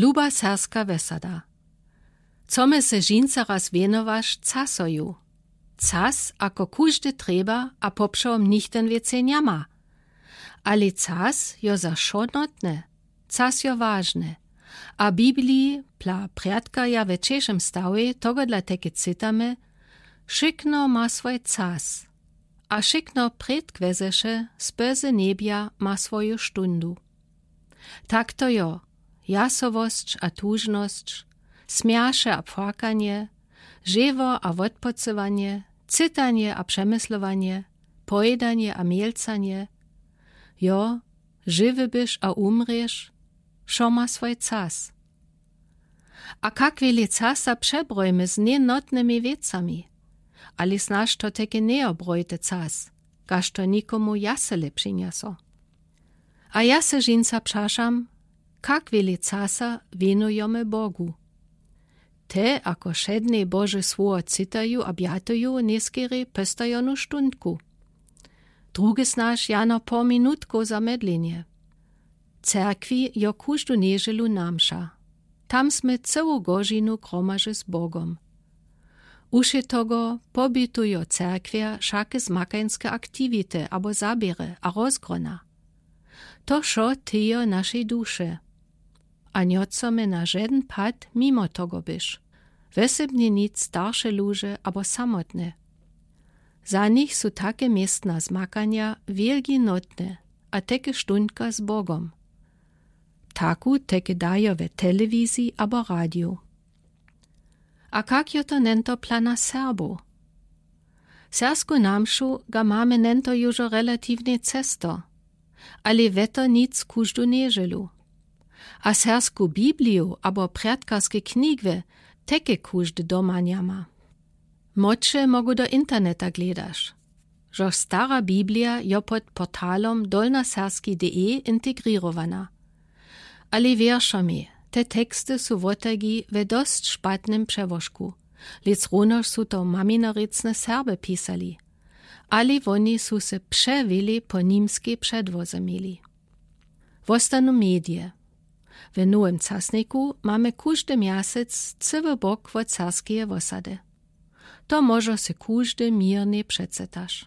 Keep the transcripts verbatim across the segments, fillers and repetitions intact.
Luba serbska wesada, co me se žińca raz wěnowaš casoju? Cas ako kóżdy trjeba a poprzałom nichto wěcej njama. Ale cas jo za wšo notny, cas jo wažny. A w bibliji pla prjadka ja we češem stałej togodla teke cytamy: Wšykno ma swój cas, a wšykno prědkwezeše spózy njebja ma swóju sztundu. Tak to jo, jasowosć a tužnosć, smjaše a płakanje, żewo a wódpocywanje, cytanje a przemyslowanje, pojedanje a mielcanje. Jo, žewy byš a umrješ, wšo ma swój cas. A kak wjele casa przebrojmy z njenotnymi wěcami? Ale snaž to teke njejobrojte cas, kaž to nikomu jasele přinjaso. A ja se žińca pśaszam, kak wjele casa wěnojomy bogu? Te ako wšedne bože słowo cytaju a bjatuju njeskerej péstajonu štundku. Druge snaž jano pół minutkow za medlenje. W cerkwi jo kóżdu nježelu namša. Tam smy cełu gožinu gromaže z bogom. Ušetogo pobitujo cerkwja wšake zmakańske aktiwite abo zaběry a rozgrona. To wšo tyjo našej duše. A njochcome na žeden pad mimo togo byś, wysebnje nic starše luže abo samotne. Za nich su take městna zmakanja wjelgi notne. A teke štundka z bogom, taku teke dajo we telewiziji abo radiju. A kak jo to nento pla na Serbow? Sersku namšu ga mamy nento južo relatiwnje cesto, ale we to nic kóżdu nježelu. A sersku bibliju abo prjadkarske knjigwy teke kóżdy doma njama. Młodše mogu do interneta gledaš, žož stara biblija jo pod portalom dolnoserski de integrirowana. Ale wěršo mi, te teksty su wotagi we dosć špatnym přełožku. Lec runož su to maminarěcne Serby pisali. Ale woni su se přewjele po nimskej předłoze měli. Wostanu medije. We nowem casniku mamy kóżdy mjesec cyły bok wot serskeje wosady. To mòżo se kóżdy měrnje přecetaš.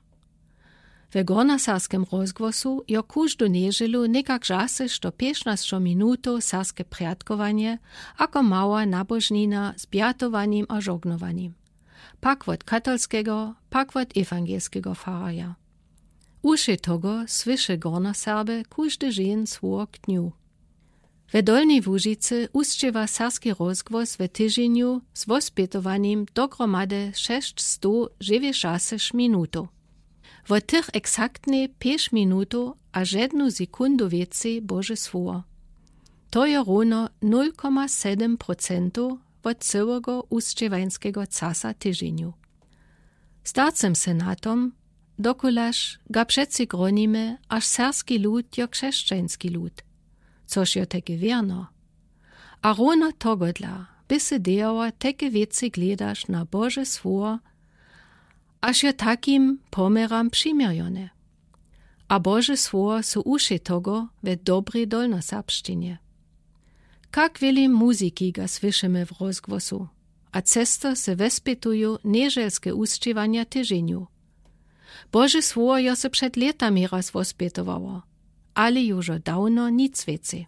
We gornoserskem rozgłosu jo kóżdu nježelu někak žasešto pěsznasćo minutow serske prjadkowanje, ako mała nabóžnina z bjatowanjem a žognowanjem, pak wot katolskego, pak wot ewangelskeho fararja. Ušetogo słyše gornoserby kóżdy žen słowo k dnju. We dolnej łužicy usćěwa serski rozgłos we tyžinju z wospětowanjem dogromady šesćsto žewjećdźasyć minutow. Wot tych eksaktnje pjeć minutow a žednu sekundu wěcej bóže słowo. To je rowno nul koma sedem procentow wot cyłego usćěwańskego casa tyžinju. Starcym se na tom, dokulaž ga přeci gronimy, až serski lud jo křesćański lud, což jo teke wěrno. A rowno togodla by se dejała teke wěcy gledaš na bóže słowo, až jo takim poměram přiměrjone. A bóže słowo su ušetogo we dobrej dolnoserbšćinje. Kak wjele muziki ga słyšymy w rozgłosu, a često se wespytuju nježelske usćěwanja tyžinju. Bóže słowo jo se před lětami raz wospětowało, ale južo dawno nic wěcej.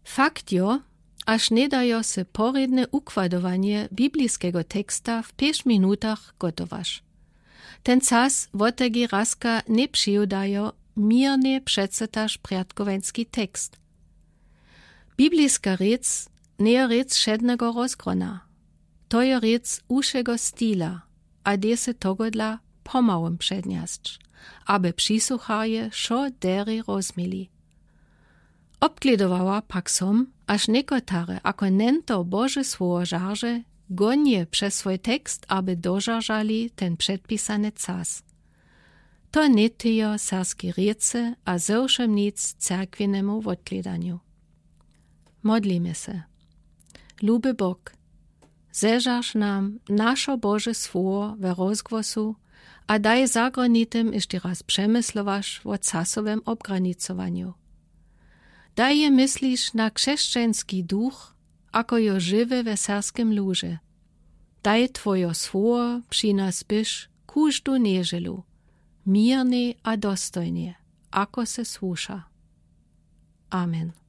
Fakt jo, až njedajo se porědne układowanje biblijskego teksta w pjeć minutach gotowaš. Ten cas wotegi razka njepřiwdajo měrnje přecetaš prjadkowański tekst. Biblijska rěc njejo rěc wšednego rozgrona. To jo rěc ušego stila, a dej se togodla pomałym přednjesć, aby přisłucharje wšo derje rozměli. Obgledowała pak som, až někotare ako nento bóže słowo žarže gonje přez swój tekst, aby dožaržali ten předpisany cas. To njetyjo serskej rěcy a zewšym nic cerkwinému wotgledanju. Modlimy se. Luby bóg, zežarž nam našo bóže słowo we rozgłosu a daj zagranitim ješće raz přemyslowaš wó casowym obgranicowanju. Daj je mysliš na křesćański duch, ako jo žiwy we serskim luze. Daj twojo słowo pśi nas byś kóżdu njedźelu, měrnie a dostojnie, ako se słuša. Amen.